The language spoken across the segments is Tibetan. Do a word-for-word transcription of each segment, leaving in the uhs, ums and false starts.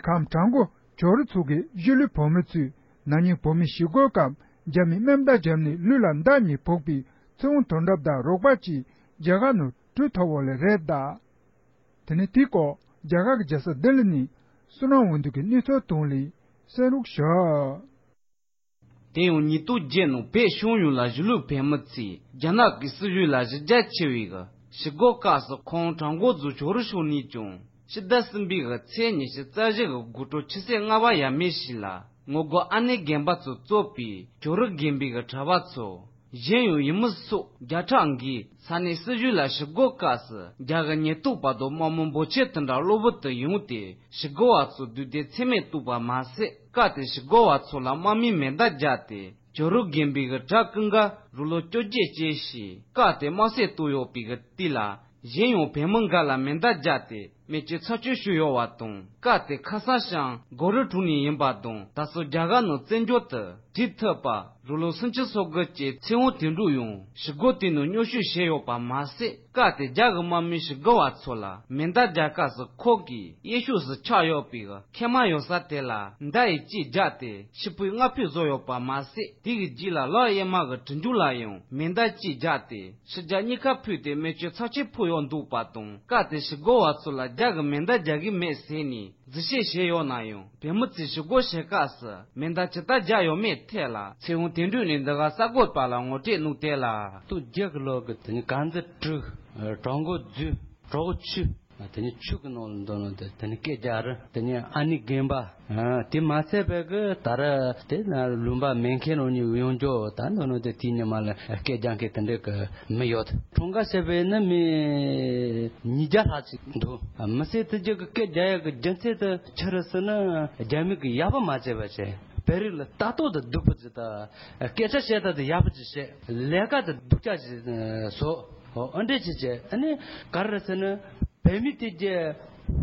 ཁམས་བྲག་འགོ་ཇོ་རུ་ཚོ་གི་གཞིས་ལུས་བོད་མི་ཚོས་ན་ནིང་བོད་མི་ཞི་རྒོལ་སྐབས་རྒྱ་མིས་མེ་མདའ་བརྒྱབ་ནས་ལུས་ལ་མདའ་གཉིས་ཕོག་པའི་ཚེ་དབང་དོན་གྲུབ་དང་རོགས་པ་བཅས་རྒྱ་གར་ནང་བྲོས་ཐོབ་པ་ལས་རེད་གདའ། དེ་ནས་དེའི་སྐོར་རྒྱ་གར་གྱི་རྒྱལ་ས་ལྡི་ལི་ནས་བསོད་ནམས་དབང་འདུས་ཀྱིས་གནས་ཚུལ་བཏང་ལས་གསན་རོགས་ཞུ། དེ་ཡང་ཉིས་སྟོང་བརྒྱད་ནང་བོད་ཕྱོགས་ཡོངས་ལ་གཞིས་ལུས་བོད་མི་ཚོས་རྒྱ་ནག་གི་སྲིད་བྱུས་ལ་གཞི་རྒྱ་ཆེ་བའི་གི་ཞི་རྒོལ་སྐབས་སུ་ཁོང་བྲག་འགོ་རྫོང་ཇོ་རུ་ཕྱོགས་ནས་ཀྱང་ཕྱི་ཟླ་གསུམ་པའི་གི་ཚེས་ཉི་ཤུ་རྩ་བཞི་གི་དགོང་དྲོ་ཆུ་ཚོད་ལྔ་པ་ཡས་མས་ཤིག་ལ་ངོ་རྒོལ་ཨ་ནེ་རྒན་པ་ཚོས་གཙོས་པའི་ཇོ་རུ་དགོན་པའི་གི་གྲྭ་པ་ཚོ། གཞན་ཡང་ཡུལ་མི་སོགས་བརྒྱ་ཕྲག་འགའི་ས་གནས་སྲིད་གཞུང་ལ་ཞི་རྒོལ་སྐབས་སུ་རྒྱ་གི་ཉེན་རྟོག་པ་དང་དམག་མི་འབོར་ཆེན་དེ་འདྲ་གློ་བུར་དུ་ཡོང་སྟེ་ཞི་རྒོལ་བ་ཚོ་བསྡུས་ཏེ་འཚེ་མེད་གཏོར་བ་མ་ཟད། སྐབས་དེར་ཞི་རྒོལ་བ་ཚོ་ལ་དམག་མིས་མེ་མདའ་བརྒྱབ་སྟེ་ཇོ་རུ་དགོན་པའི་གི་གྲྭ་ཀུན་དགའ་རང་ལོ་བཅོ་བརྒྱད་ཅན་ཞིག་སྐབས་དེར་དམར་གསོད་བཏང་ཡོད་པའི་གི་དུས་ལ། གཞན་ཡང་བོད་མི་འགའ་ལ་མེ་མདའ་བརྒྱབ་སྟེ་རྨས་སྐྱོན་ཚབས་ཆེན་བྱུང་ཡོད་པ་དང་། སྐབས་དེ་ཁ་སང་ཞང་སྒོ་རི་གྲོང་ནས་ཡིན་པ་དང་། ད་སོ་རྒྱ་གར་ནང་བཙན་བྱོལ་དུ་བྲོས་ཐུབ་པ་རང་ལོ་སུམ་ཅུ་སོ་དགུ་ཅན་ཚེ་དབང་དོན་གྲུབ་ཡང་ཞི་རྒོལ་དེ་ནང་མཉམ་ཞུགས་བྱས་ཡོད་པ་མ་ཟད། སྐབས་དེ་རྒྱ་གི་དམག་མིས་ཞི་རྒོལ་བ་ཚོ་ལ་མེ་མདའ་རྒྱག་སྐབས་སུ་ཁོང་གི་གཡས་ཕྱོགས་སུ་ཆགས་ཡོད་པའི་མཁལ་མ་ཡོད་ས་དེ་ལ་མདའ་ཡིས་གཅིག་བརྒྱབ་སྟེ་ཤི་བོའི་སྔ་ཕོད་བཟོས་ཡོད་པ་མ་ཟད། དེ་གི་རྗེས་ལ་ལག་གཡས་མ་གི་གྲི་མཇུག་ལ་ཡང་མེ་མདའ་གཅིག་བརྒྱབ་སྟེ། ཕྱི་རྒྱལ་གཉིས་ཀ་ཕུད་དེ་རྨས་སྐྱོན་ཚབས་ཆེན་ཕོག་ཡོད་འདུག་པ་དང་། སྐབས་དེ་ཞི་རྒོལ་བ་ཚོ་ལ་རྒྱ་གི་མེ་མདའ་རྒྱག་གི་མེད་ཟེར་ནས་འཛིན་བཤད་བྱས་ཡོད་ན་ཡང་། བོད་མི་ཚོས་ཞི་རྒོལ་བྱེད་སྐབས་སུ་མེ་མདའ་ཇི་ལྟར་རྒྱག་ཡོད་མེད་ཐད་ལ་ཚེ་དབང་དོན་གྲུབ་ནས་འདི་ག་གསར་འགོད་པ་ལ་ངོ་སྤྲོད་གནང་དེ་ལ། སྟོང་བརྒྱད་ཀྱི་ལོ་གི་དེ་ནི་གངས་འཛིན་དྲུག་གྲོགས་འགོ་རྫུས་གྲོགས་ཆུ། དེ་ནི་ཆུ་གི་ནང་ལ་འདོན་ནོ་དེ་དེ་ནི་སྐད་རྒྱག་རེད། དེ་ནི་ཨ་ནི་རྒན་པ། དེ་མ་ཚད་པའི་གི་ད་ར་དེ་ན་ལུང་པ་མེ་མཁན་རང་ཉིད་ཡོང་འཇོག་ད་འདོན་ནོ་དེ་དེའི་ཉི་མ་ལ་སྐད་རྒྱག་མཁན་དེ་འདྲའི་གི་མི་ཡོད། འཁྲུངས་སྐར་བྱས་པའི་ནི་མི་ཉིས་བརྒྱ་ལྷག་ཅིག་འདུག་མི་སེར་དེ་རྒྱུ་གི་སྐད་རྒྱག་ཡག་གི་རྒྱུ་མཚན་དེ་ཆི་རེད་ཟེར་ན། རྒྱ་མི་གི་ཡག་པོ་མ་བྱས་པ་བྱས། བོད་རིགས་ལ་ལྟ་རྟོག་དང་སྡུག་པོ་ཅིག་དང་། སྐད་ཆ་བཤད་སྟངས་དེ་ཡག་པོ་ཅིག་བཤད། ལས་ཀ་དེ་སྡུག་ཅག་ཅིག་བཟོ། ཨོ་ཨ་འདྲས་ཅིག་བྱས། ཨ་ནི་ག་རེ་ཟེར་ན། བོད་མི་དེ་རྒྱ་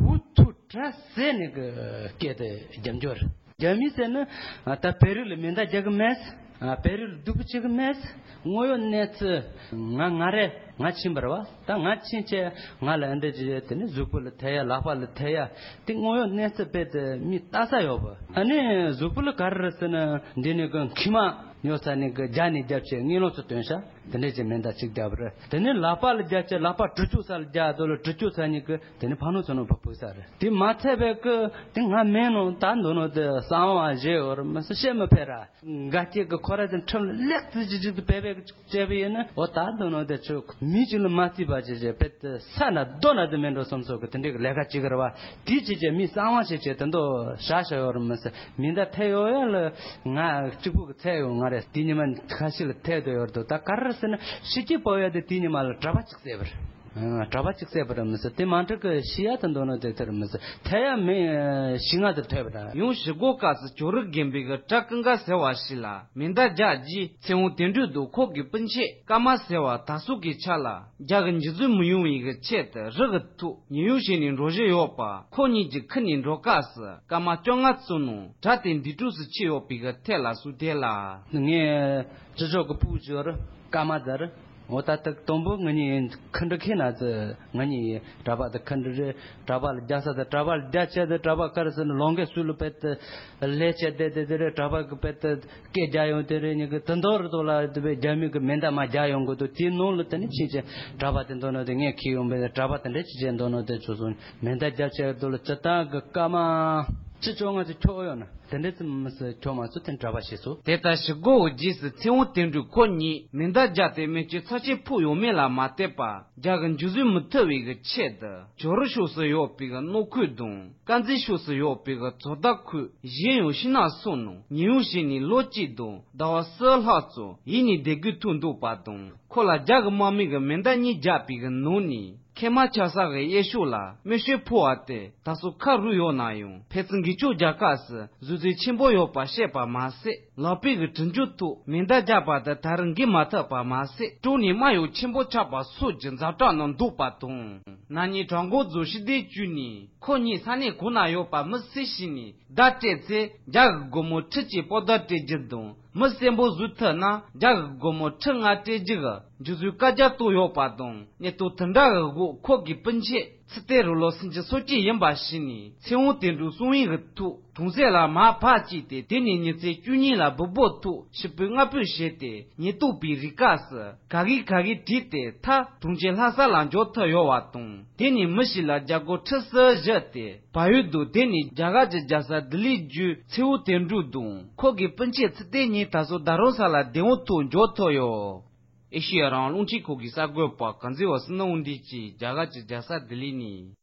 འུ་ཐུག་གྲ་ཟེ་ནས་གི་སྐད་དེ་རྒྱབ་འཇོར། རྒྱ་མི་ཟེར་ན་ད་བོད་རིགས་ལ་མེ་མདའ་རྒྱག་གི་མེད། བོད་རིགས་ལ་སྡུག་པོ་བྱེད་གི་མེད། དངོས་ཡོད་གནས་ཚུལ་ང་ང་རེ་ང་ཕྱིན་པ་རེད་བ། ད་ང་ཕྱིན་བྱས་ང་ལ་ཨ་འདྲས་ཅིག་དེ་ནི་གཟུགས་པོ་ལ་ཐེ་ཡ་ལག་པ་ལ་ཐེ་ཡ། དེ་དངོས་ཡོད་གནས་ཚུལ་དཔེ་དེ་མི་ལྟ་ས་ཡོད་པ། ཨ་ནི་གཟུགས་པོ་ལ་ག་རེ་རེད་ཟེར་ན། འདི་ནི་གི་མཁལ་མ་ཉོ་ས་ནས་གི་རྒྱ་ནས་རྒྱབ་བྱས་ངན་སློང་ཚོ་སྟོན་ཤག་དེ་འདྲས་ཀྱི་མེ་མདའ་གཅིག་རྒྱབ་རེད། དེ་ནས་ལག་པ་ལ་རྒྱབ་བྱས་ལག་པ་གྲི་ཆུ་ས་ལ་རྒྱབ་དོ་ལ་གྲི་ཆུ་ས་ནས་གི་དེ་ནས་ཕ་ནོ་ཚོ་ནོ་ཕ་ཕུག་ས་རེད། དེ་མ་ཚད་པའི་གི་དེ་ང་མེད་ནོ་ད་འདོད་ནོ་དེ་གསང་བ་བཞེས་ཡོད་རེད་མི་སྲིད་བཤད་མི་ཕེ་ར། འགའ་སྐྱེ་གི་ཁོ་ར་དེ་ཁྲིམས་ལེགས་ཙི་ཅི་ཅི་དེ་བེ་བེ་གི་བྱས་པ་ཡིན་ན། འོ་ད་འདོད་ནོ་དེ་ཆུ་མི་གཅིག་ལ་མ་བརྩིས་པ་ཅི་བྱས་བེ་དེ་ས་ན་རྡོ་ན་དེ་མེད་འགྲོ་སོམ་སོ་གི་དེ་འདྲའི་གི་ལས་ཀ་ཅི་གི་རེད་བ། དེ་ཅི་བྱས་མི་གསང་བ་ཞིག་བྱས་དེ་འདོ་ཤ་ཤ་ཡོད་རེད་མི་སྲིད། མི་འདའ་ཐལ་ཡོད་ཡ་ལ་ང་གཅིག་པུ་གི་ཚད་ཡོད་ང་རེད། དེ་ཉི་མ་ཁ་ཤས་ལ་ཐལ་དུ་ཡོད་དོ། ད་ག་རེ་ཟེར་ན་ཤི་སྐྱིད་པོ་ཡ་དེ་དེ་ཉི་མ་ལ་གྲྭ་པ་གཅིག་བསད་པ་རེད། གྲྭ་པ་གཅིག་བསད་པ་རེད་མི་སྲིད། དེ་མ་འགྲིག་གི་ཤི་ཡ་དེ་འདོད་ནོ་དེ་དེ་རེད་མི་སྲིད། ཐལ་ཡ་མི་ཤི་ང་དེ་ཐལ་བ་རེད། ཡང་ཞི་རྒོལ་སྐབས་སུ་ཇོ་རུ་དགོན་པའི་གི་གྲྭ་ཀུན་དགའ་ཟེར་བ་ཞིག་ལ་མེ་མདའ་རྒྱག་རྗེས་ཚེ་དབང་དོན་གྲུབ་དང་ཁོང་གི་སྤུན་མཆེད་ཀརྨ་ཟེར་བ་དར་སྲོལ་གྱི་ཆ་ལ་རྒྱ་གི་འཇུ་བཟུང་མི་ཡོང་བའི་གི་ཆེད་དུ་རི་གི་ཐོག་ཉེན་གཡོལ་བྱས་ནས་འགྲོ་བཞིན་ཡོད་པ། ཁོ་གཉིས་ཀྱི་ཁུར་ནས་འགྲོ་སྐབས་སུ་ཀརྨ་བཅོ་ལྔ་བཙོན་ནང་གྲྭ་དེ་འདས་གྲོངས་སུ་ཕྱིན་ཡོད་པའི་གི་ཐད་ལ་སུ་དེ་ལ། ངས་ཅི་ཕྱོགས་ཀྱི་སྤུ་གུ་ཅིག་ཡོད་རེད་ཀརྨ་ཟེར། འོ་ད་ལྟ་དང་པོ་ང་གཉིས་ཁུ་འདྲ་ཁེ་ན་ཚེ་ང་གཉིས་གྲྭ་པ་དང་ཁུ་འདྲ་རེད། གྲྭ་པ་ལ་རྒྱག་ས་དང་གྲྭ་པ་ལ་རྒྱག་བྱས་ཏེ་གྲྭ་པ་ག་རེ་ཟེར་ན་ལོང་གེ་སུ་ལ་བེད་དེ་ལས་བྱས་བསྡད་དེ་དེ་རེད། གྲྭ་པ་གི་བེད་དེ་སྐད་རྒྱག་ཡོང་དེ་རེད། ཉི་གི་དེ་འདོར་དོ་ལ་དེ་བས་རྒྱ་མི་གི་མེ་མདའ་མ་རྒྱག་ཡོང་གི་འདུག་དེའི་ནང་ལ་དེ་ནི་ཕྱིན་ཆད་གྲྭ་པ་དེ་འདོར་ནོ་དེ་ངས་ཁེ་ཡོང་བས་གྲྭ་པ་དེ་འདྲ་ཅི་བྱས་འདོར་ནོ་དེ་ཚོ་སོང་མེ་མདའ་རྒྱག་བྱས་འདུག་ལ་སྤྱི་བཏང་གི་ཀརྨ། ཅི་ཅོ་ང་ཚོ་ཁྱོ་ཡོད་ན། དེ་འདྲ་ཙམ་མི་སྲིད་ཁྱོད་མ་ཚོ་དེ་གྲྭ་པ་བྱས་སོ། དེ་ལྟར་ཞི་རྒོལ་བའི་རྗེས་སུ་ཚེ་དབང་དོན་གྲུབ་ཁོ་གཉིས་མེ་མདའ་བརྒྱབ་སྟེ་རྨས་སྐྱོན་ཚབས་ཆེན་ཕོག་ཡོད་མེད་ལ་མ་ལྟོས་པར་རྒྱ་གི་འཇུ་བཟུང་མི་ཐུབ་པའི་གི་ཆེད་དུ་ཇོ་རུ་ཕྱོགས་སུ་ཡོད་པའི་གི་སྣོད་ཁུལ་དང་དཀར་མཛེས་ཕྱོགས་སུ་ཡོད་པའི་གི་ཚོ་བདག་ཁུལ་གཞན་ཡང་ཤིང་ནགས་སོགས་ནང་ཉེན་གཡོལ་བྱས་ནས་ལོ་གཅིག་དང་ཟླ་བ་གསུམ་ལྷག་ཙམ་ཡིབ་ནས་བསྡད་དགོས་ཐུག་འདུག་པ་དང་། ཁོ་ལ་རྒྱ་གི་དམག་མི་གི་མེ་མདའ་གཉིས་བརྒྱབ་པའི་གི་ནང་ནས། མཁལ་མ་ཆག་ས་གི་གཡས་ཕྱོགས་ལ་རྨས་སྐྱོན་ཕོག་པ་དེ་ད་གཟོད་ཁ་རུ་ཡོད་ན་ཡང་ཕན་ཚུན་འགུལ་སྐྱོད་རྒྱག་སྐབས་སུ་གཟུགས་བརྗིད་ཆེན་པོ་ཡོད་པ་བཤད་པ་མ་ཟད། ལག་པའི་གི་གྲི་མཇུག་ཐོག་མེ་མདའ་བརྒྱབ་པ་དེ་ད་རུང་འགུལ་མ་ཐུབ་པ་མ་ཟད། དཀྲོལ་ནས་རྨ་ཡང་ཆེན་པོ་ཆགས་པ་སོགས་ཀྱི་ཛ་དྲག་ནང་འདུག་པ་དང་། ན་ནིང་བྲག་འགོ་རྫོང་ཕྱི་སྡེ་བཅུ་ནས་ཁོ་གཉིས་ས་གནས་གང་ན་ཡོད་པ་མི་སེར་ཞིག་ནས་བརྡ་སྤྲད་ཚེ། རྒྱ་གི་སྒོར་མོ་ཁྲི་གཅིག་པོ་ད་སྤྲད་རྒྱུ་དང་། མི་གསལ་པོ་བཟོ་ཐུབ་ན་རྒྱ་གི་སྒོར་མོ་ཁྲི་ལྔ་སྤྲད་རྒྱུ་གི་འཇུ་བཟོའི་བཀའ་རྒྱ་བཏོན་ཡོད་པ་དང་། གནས་སྟངས་དེ་འདྲ་གི་འོག་ཁོ་གི་སྤུན་མཆེད་ཚེ་བརྟན་རུ་ལོ་སུམ་ཅུ་སོ་གཅིག་ཡིན་པ་ཤེས་ནས་ཚེ་དབང་དོན་གྲུབ་གསང་བའི་གི་ཐོག་གྲོང་གསེབ་ལ་མར་ཕར་སྐྱེལ་ཏེ། དེ་ནས་ཉིན་མཚན་བཅུ་གཉིས་ལ་སྦུག་སྦུག་ཐོག་ཞིག་པོའི་སྔ་ཕུད་བྱས་ཏེ། ཉེན་རྟོག་པའི་རིགས་སྐབས་སུ་ག་གི་ག་གི་བྲིས་ཏེ་མཐར་གྲོང་ཁྱེར་ལྷ་ས་ལ་འབྱོར་ཐུབ་ཡོད་པ་དང་། དེ་ནས་མི་ཞིག་ལ་རྒྱ་སྒོར་ཁྲི་གསུམ་བཞག་སྟེ་བལ་ཡུལ་དུ། དེ་ནས་རྒྱ་གར་གྱི་རྒྱལ་ས་ལྡི་ལིར་བརྒྱུད་ཚེ་དབང་དོན་གྲུབ་དང་ཁོ་གི་སྤུན་མཆེད་ཚེ་བརྟན་གཉིས་ད་གཟོད་རྡ་རམ་ས་ལ་བདེ་བོའི་ཐོག་འབྱོར་ཐུབ་ཡོད། ཨེ་ཤེ་ཡ་རང་དབང་རླུང་འཕྲིན་ཁང་གི་གསར་འགོད་པ་གངས་འཛིན་པ་བསོད་ནམས་དབང་འདུས་ཀྱིས་རྒྱ་གར་གྱི་རྒྱལ་ས་ལྡི་ལི་ནས།